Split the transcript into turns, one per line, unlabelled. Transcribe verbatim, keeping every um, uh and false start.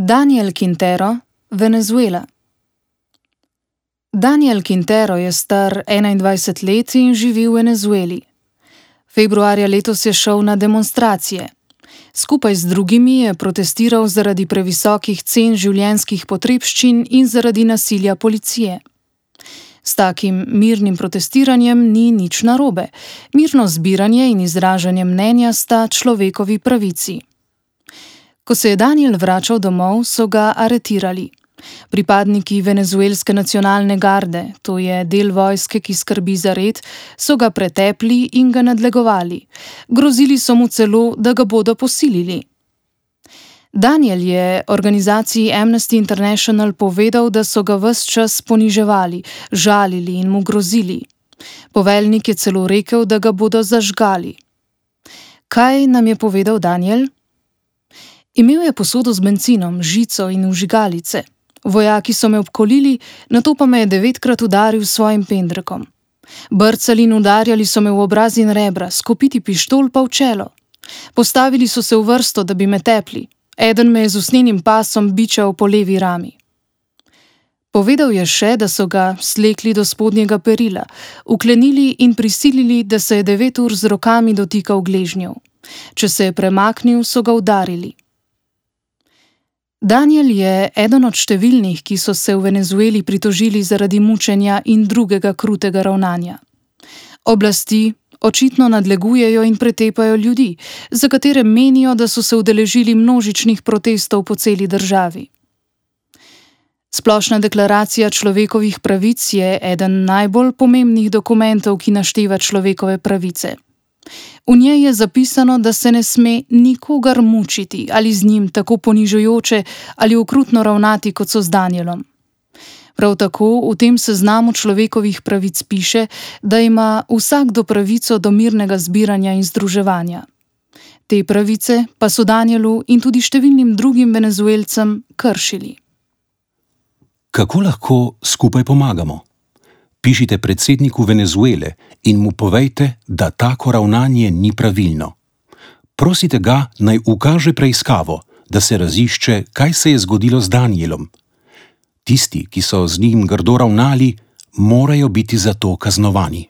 Daniel Quintero, Venezuela. Daniel Quintero je star enaindvajset let in živi v Venezueli. Februarja letos je šel na demonstracije. Skupaj z drugimi je protestiral zaradi previsokih cen življenjskih potrebščin in zaradi nasilja policije. S takim mirnim protestiranjem ni nič narobe. Mirno zbiranje in izražanje mnenja sta človekovi pravici. Ko se je Daniel vračal domov, so ga aretirali. Pripadniki venezuelske nacionalne garde, to je del vojske, ki skrbi za red, so ga pretepli in ga nadlegovali. Grozili so mu celo, da ga bodo posilili. Daniel je organizaciji Amnesty International povedal, da so ga ves čas poniževali, žalili in mu grozili. Poveljnik je celo rekel, da ga bodo zažgali. Kaj nam je povedal Daniel? Imel je posodo z bencinom, žico in vžigalice. Vojaki so me obkolili, nato pa me je devetkrat udaril s svojim pendrekom. Brcali in udarjali so me v obraz in rebra, s kopiti pištol pa v čelo. Postavili so se v vrsto, da bi me tepli. Eden me je z usnjenim pasom bičal po levi rami. Povedal je še, da so ga slekli do spodnjega perila, uklenili in prisilili, da se je devet ur z rokami dotikal gležnjev. Če se je premaknil, so ga udarili. Daniel je eden od številnih, ki so se v Venezueli pritožili zaradi mučenja in drugega krutega ravnanja. Oblasti očitno nadlegujejo in pretepajo ljudi, za katere menijo, da so se udeležili množičnih protestov po celi državi. Splošna deklaracija človekovih pravic je eden najbolj pomembnih dokumentov, ki našteva človekove pravice. V njej je zapisano, da se ne sme nikogar mučiti ali z njim tako ponižujoče ali okrutno ravnati, kot so z Danielom. Prav tako v tem seznamu človekovih pravic piše, da ima vsakdo pravico do mirnega zbiranja in združevanja. Te pravice pa so Danielu in tudi številnim drugim Venezuelcem kršili.
Kako lahko skupaj pomagamo? Pišite predsedniku Venezuele in mu povejte, da tako ravnanje ni pravilno. Prosite ga, naj ukaže preiskavo, da se razišče, kaj se je zgodilo z Danielom. Tisti, ki so z njim grdo ravnali, morajo biti za to kaznovani.